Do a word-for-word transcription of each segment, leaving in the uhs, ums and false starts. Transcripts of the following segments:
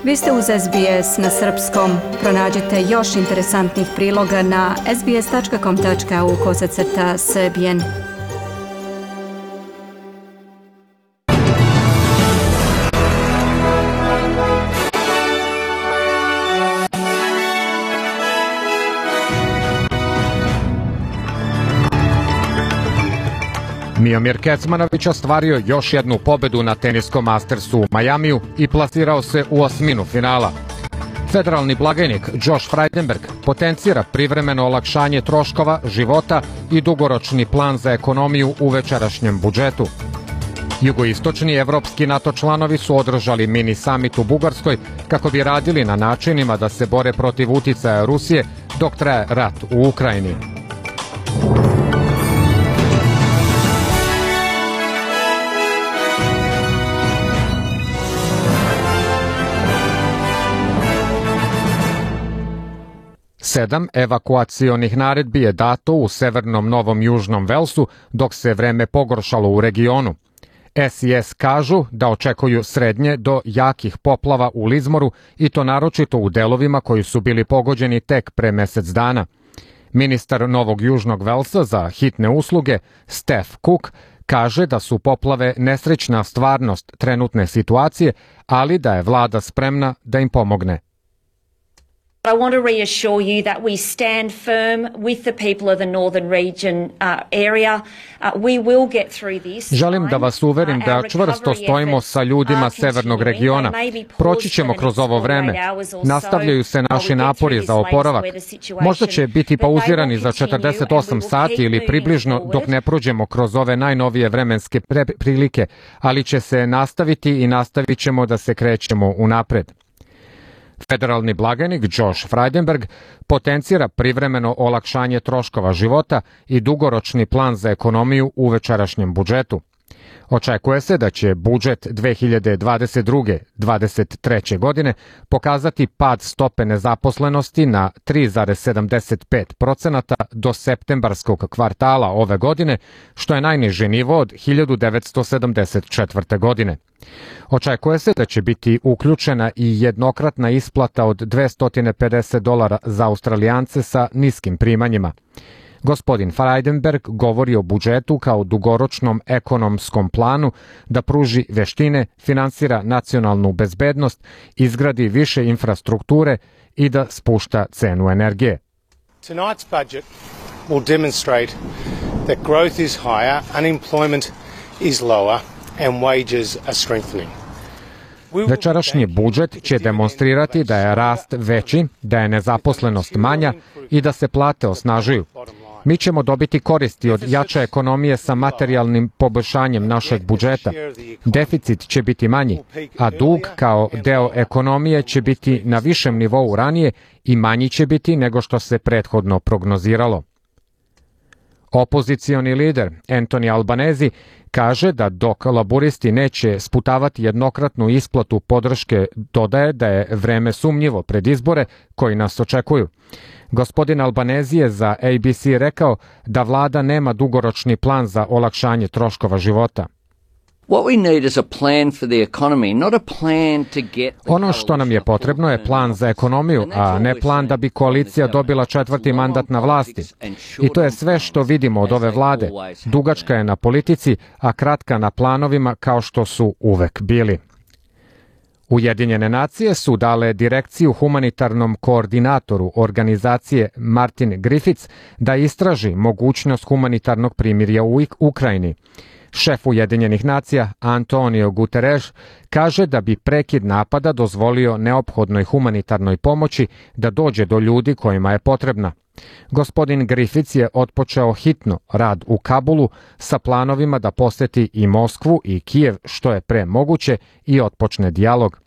Vi ste uz S B S na srpskom. Pronađite još interesantnih priloga na sbs.com.au kosacrta srbijen. Miomir Kecmanović ostvario još jednu pobedu na teniskom Mastersu u Majamiju i plasirao se u osminu finala. Federalni blagajnik Josh Frydenberg potencira privremeno olakšanje troškova, života i dugoročni plan za ekonomiju u večerašnjem budžetu. Jugoistočni evropski NATO članovi su održali mini summit u Bugarskoj kako bi radili na načinima da se bore protiv uticaja Rusije dok traje rat u Ukrajini. Sedam evakuacionih naredbi je dato u severnom Novom Južnom Velsu dok se vreme pogoršalo u regionu. S I S kažu da očekuju srednje do jakih poplava u Lizmoru i to naročito u delovima koji su bili pogođeni tek pre mesec dana. Ministar Novog Južnog Velsa za hitne usluge Steph Cook kaže da su poplave nesrećna stvarnost trenutne situacije, ali da je vlada spremna da im pomogne. I want to reassure you that we stand firm with the people of the northern region uh, area. Uh, we will get through this. Želim da vas uverim da čvrsto stojimo sa ljudima severnog regiona. Proći ćemo kroz ovo vreme. Nastavljaju se naši napori za oporavak. Možda će biti pauzirani za četrdeset osam sati ili približno dok ne prođemo kroz ove najnovije vremenske prilike, ali će se nastaviti i nastavit ćemo da se krećemo unapred. Federalni blagajnik Josh Frydenberg potencira privremeno olakšanje troškova života i dugoročni plan za ekonomiju u večerašnjem budžetu. Očekuje se da će budžet dve hiljade dvadeset druge do dvadeset treće. godine pokazati pad stope nezaposlenosti na tri zarez sedamdeset pet procenata do septembarskog kvartala ove godine, što je najniži nivo od hiljadu devetsto sedamdeset četvrte. godine. Očekuje se da će biti uključena i jednokratna isplata od dvesta pedeset dolara za Australijance sa niskim primanjima. Gospodin Frydenberg govori o budžetu kao dugoročnom ekonomskom planu da pruži veštine, finansira nacionalnu bezbednost, izgradi više infrastrukture i da spušta cenu energije. Tonight's budget will demonstrate that growth is higher, unemployment is lower and wages are strengthening. Večerašnji budžet će demonstrirati da je rast veći, da je nezaposlenost manja i da se plate osnažuju. Mi ćemo dobiti koristi od jače ekonomije sa materijalnim poboljšanjem našeg budžeta. Deficit će biti manji, a dug kao deo ekonomije će biti na višem nivou ranije i manji će biti nego što se prethodno prognoziralo. Opozicioni lider Anthony Albanese kaže da dok laburisti neće sputavati jednokratnu isplatu podrške, dodaje da je vreme sumnjivo pred izbore koji nas očekuju. Gospodin Albanese je za A B C rekao da vlada nema dugoročni plan za olakšanje troškova života. Ono što nam je potrebno je plan za ekonomiju, a ne plan da bi koalicija dobila četvrti mandat na vlasti. I to je sve što vidimo od ove vlade. Dugačka je na politici, a kratka na planovima kao što su uvek bili. Ujedinjene nacije su dale direkciju humanitarnom koordinatoru organizacije Martin Griffiths da istraži mogućnost humanitarnog primirja u Ukrajini. Šef Ujedinjenih nacija Antonio Guterres kaže da bi prekid napada dozvolio neophodnoj humanitarnoj pomoći da dođe do ljudi kojima je potrebna. Gospodin Griffiths je otpočeo hitno rad u Kabulu sa planovima da poseti i Moskvu i Kijev što je pre moguće i otpočne dijalog.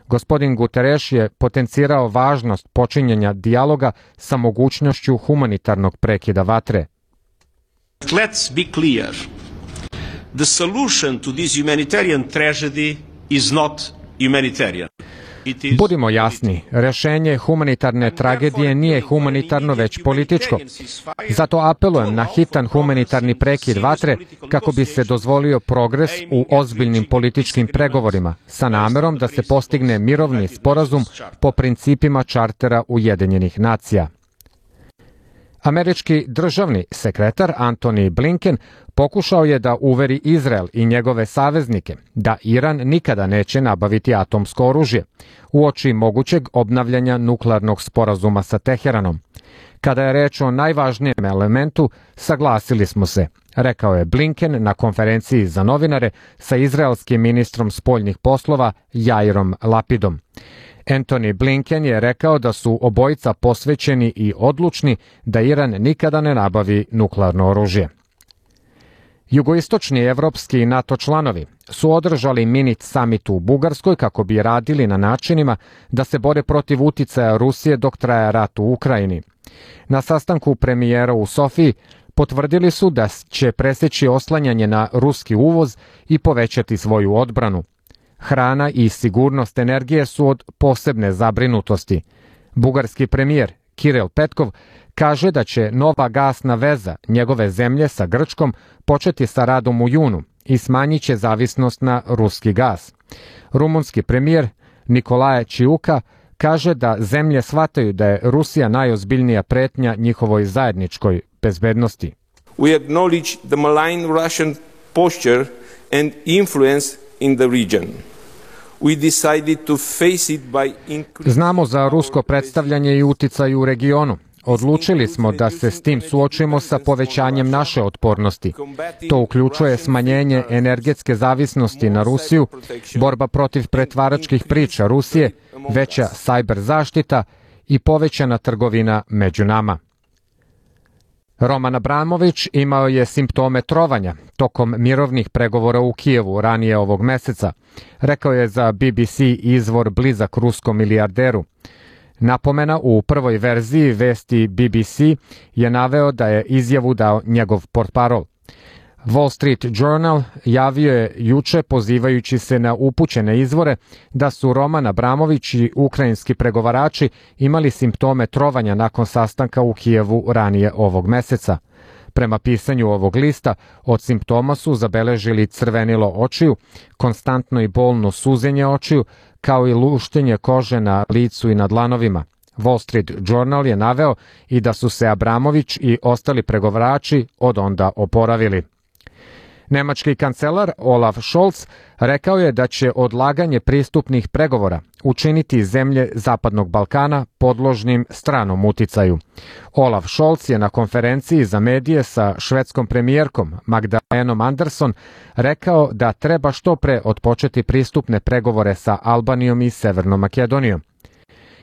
Gospodin Guterres je potencirao važnost počinjenja dijaloga sa mogućnošću humanitarnog prekida vatre. Let's be clear. The solution to this humanitarian tragedy is not humanitarian. Budimo jasni, rešenje humanitarne tragedije nije humanitarno već političko. Zato apelujem na hitan humanitarni prekid vatre kako bi se dozvolio progres u ozbiljnim političkim pregovorima sa namerom da se postigne mirovni sporazum po principima čartera Ujedinjenih nacija. Američki državni sekretar Antony Blinken pokušao je da uveri Izrael i njegove saveznike da Iran nikada neće nabaviti atomsko oružje uoči mogućeg obnavljanja nuklearnog sporazuma sa Teheranom. Kada je reč o najvažnijem elementu, saglasili smo se, rekao je Blinken na konferenciji za novinare sa izraelskim ministrom spoljnih poslova Jairom Lapidom. Antony Blinken je rekao da su obojica posvećeni i odlučni da Iran nikada ne nabavi nuklearno oružje. Jugoistočni evropski NATO članovi su održali mini summit u Bugarskoj kako bi radili na načinima da se bore protiv uticaja Rusije dok traje rat u Ukrajini. Na sastanku premijera u Sofiji potvrdili su da će preseći oslanjanje na ruski uvoz i povećati svoju odbranu. Hrana i sigurnost energije su od posebne zabrinutosti. Bugarski premijer Kiril Petkov kaže da će nova gasna veza njegove zemlje sa Grčkom početi sa radom u junu i smanjit će zavisnost na ruski gas. Rumunski premijer Nicolae Ciuca kaže da zemlje shvataju da je Rusija najozbiljnija pretnja njihovoj zajedničkoj bezbednosti. We acknowledge the malign Russian posture and influence in the region. We decided to face it by increasing... Znamo za rusko predstavljanje i uticaj u regionu. Odlučili smo da se s tim suočimo sa povećanjem naše otpornosti. To uključuje smanjenje energetske zavisnosti na Rusiju, borba protiv pretvaračkih priča Rusije, veća sajber zaštita i povećana trgovina među nama. Roman Abramović imao je simptome trovanja tokom mirovnih pregovora u Kijevu ranije ovog meseca, rekao je za B B C izvor blizak ruskom milijarderu. Napomena u prvoj verziji vesti B B C je naveo da je izjavu dao njegov portparol. Wall Street Journal javio je juče, pozivajući se na upućene izvore, da su Roman Abramović i ukrajinski pregovarači imali simptome trovanja nakon sastanka u Kijevu ranije ovog meseca. Prema pisanju ovog lista, od simptoma su zabeležili crvenilo očiju, konstantno i bolno suzenje očiju, kao i luštenje kože na licu i na dlanovima. Wall Street Journal je naveo i da su se Abramović i ostali pregovarači od onda oporavili. Nemački kancelar Olaf Scholz rekao je da će odlaganje pristupnih pregovora učiniti zemlje Zapadnog Balkana podložnim stranom uticaju. Olaf Scholz je na konferenciji za medije sa švedskom premijerkom Magdalenom Andersson rekao da treba što pre otpočeti pristupne pregovore sa Albanijom i Severnom Makedonijom.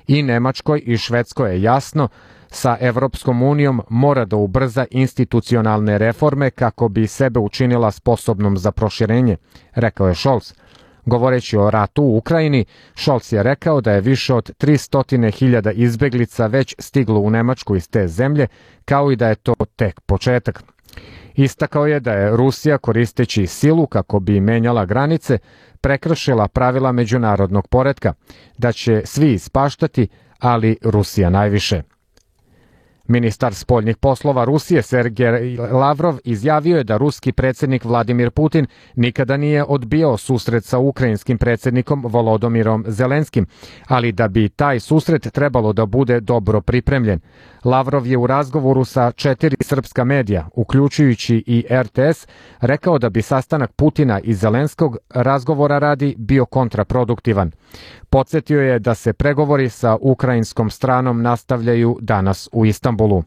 I Nemačkoj i Švedskoj je jasno, sa Evropskom unijom mora da ubrza institucionalne reforme kako bi sebe učinila sposobnom za proširenje, rekao je Scholz. Govoreći o ratu u Ukrajini, Scholz je rekao da je više od tristo hiljada izbeglica već stiglo u Nemačku iz te zemlje, kao i da je to tek početak. Istakao je da je Rusija, koristeći silu kako bi menjala granice, prekršila pravila međunarodnog poretka, da će svi ispaštati, ali Rusija najviše. Ministar spoljnih poslova Rusije Sergej Lavrov izjavio je da ruski predsjednik Vladimir Putin nikada nije odbijao susret sa ukrajinskim predsjednikom Volodomirom Zelenskim, ali da bi taj susret trebalo da bude dobro pripremljen. Lavrov je u razgovoru sa četiri srpska medija, uključujući i R T S, rekao da bi sastanak Putina i Zelenskog razgovora radi bio kontraproduktivan. Podsjetio je da se pregovori sa ukrajinskom stranom nastavljaju danas u Istanbulu.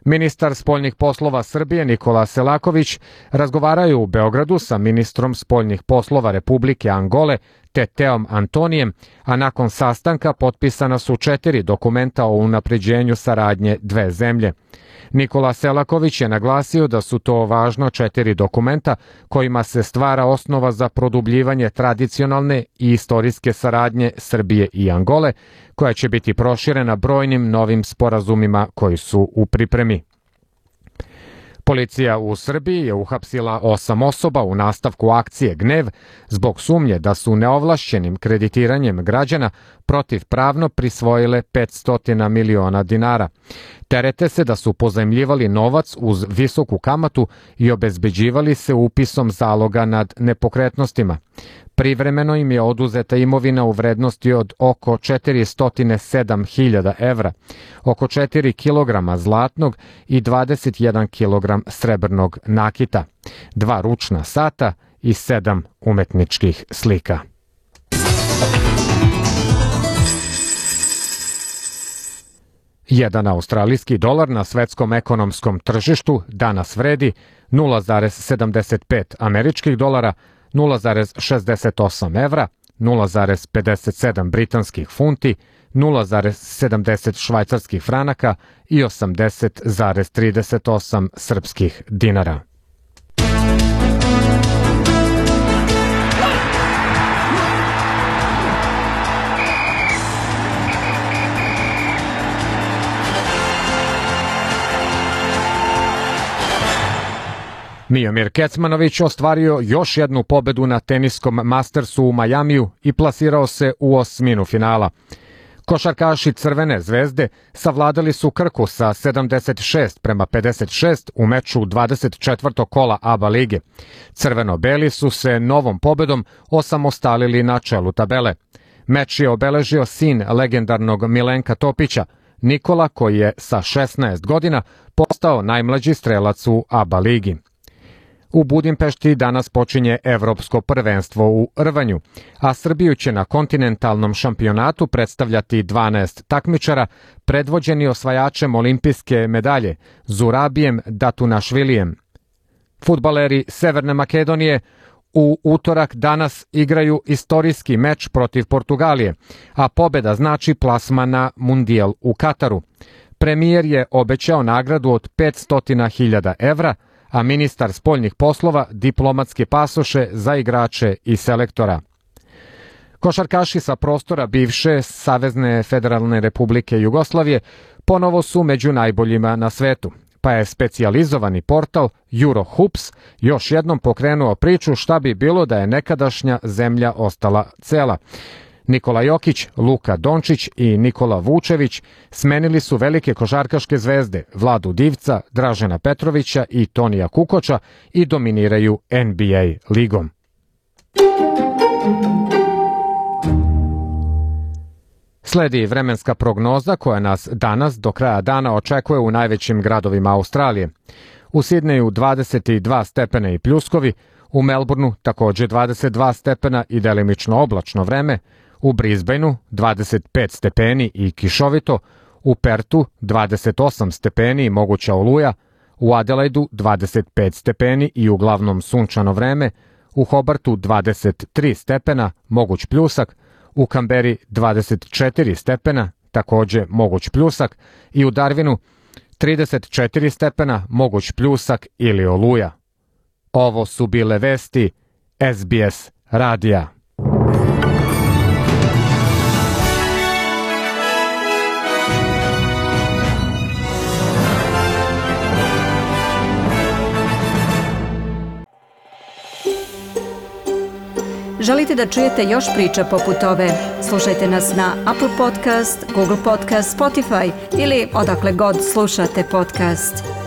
Ministar spoljnih poslova Srbije Nikola Selaković razgovaraju u Beogradu sa ministrom spoljnih poslova Republike Angole Teteom Antonijem, a nakon sastanka potpisana su četiri dokumenta o unapređenju saradnje dve zemlje. Nikola Selaković je naglasio da su to važno četiri dokumenta kojima se stvara osnova za produbljivanje tradicionalne i istorijske saradnje Srbije i Angole, koja će biti proširena brojnim novim sporazumima koji su u pripremi. Policija u Srbiji je uhapsila osam osoba u nastavku akcije Gnev zbog sumnje da su neovlašćenim kreditiranjem građana protivpravno prisvojile petsto miliona dinara. Terete se da su pozajmljivali novac uz visoku kamatu i obezbeđivali se upisom zaloga nad nepokretnostima. Privremeno im je oduzeta imovina u vrednosti od oko četiristo sedam hiljada evra, oko četiri kilograma zlatnog i dvadeset jedan kilogram srebrnog nakita, dva ručna sata i sedam umetničkih slika. Jedan australijski dolar na svetskom ekonomskom tržištu danas vredi nula zarez sedamdeset pet američkih dolara, nula zarez šezdeset osam evra, nula zarez pedeset sedam britanskih funti, nula zarez sedamdeset švajcarskih franaka i osamdeset zarez trideset osam srpskih dinara. Miomir Kecmanović ostvario još jednu pobedu na teniskom Mastersu u Majamiju i plasirao se u osminu finala. Košarkaši Crvene zvezde savladali su Krku sa sedamdeset šest prema pedeset šest u meču dvadeset četvrtog kola A B A lige. Crveno-beli su se novom pobedom osamostalili na čelu tabele. Meč je obeležio sin legendarnog Milenka Topića, Nikola, koji je sa šesnaest godina postao najmlađi strelac u A B A ligi. U Budimpešti danas počinje Evropsko prvenstvo u rvanju, a Srbiju će na kontinentalnom šampionatu predstavljati dvanaest takmičara, predvođeni osvajačem olimpijske medalje Zurabijem Datunašvilijem. Fudbaleri Severne Makedonije u utorak danas igraju istorijski meč protiv Portugalije, a pobeda znači plasman na Mundijal u Kataru. Premijer je obećao nagradu od petsto hiljada evra, a ministar spoljnih poslova diplomatske pasoše za igrače i selektora. Košarkaši sa prostora bivše Savezne federalne republike Jugoslavije ponovo su među najboljima na svetu, pa je specijalizovani portal Eurohoops još jednom pokrenuo priču šta bi bilo da je nekadašnja zemlja ostala cela. Nikola Jokić, Luka Dončić i Nikola Vučević smenili su velike košarkaške zvezde Vladu Divca, Dražena Petrovića i Tonija Kukoča i dominiraju N B A ligom. Sledi vremenska prognoza koja nas danas do kraja dana očekuje u najvećim gradovima Australije. U Sidneju dvadeset dva stepena i pljuskovi, u Melbourneu takođe dvadeset dva stepena i delimično oblačno vreme, u Brisbaneu dvadeset pet stepeni i kišovito, u Pertu dvadeset osam stepeni i moguća oluja, u Adelaidu dvadeset pet stepeni i uglavnom sunčano vreme, u Hobartu dvadeset tri stepena, moguć pljusak, u Kamberi dvadeset četiri stepena, takođe moguć pljusak i u Darwinu trideset četiri stepena, moguć pljusak ili oluja. Ovo su bile vesti S B S radija. Želite da čujete još priča poput ove? Slušajte nas na Apple Podcast, Google Podcast, Spotify ili odakle god slušate podcast.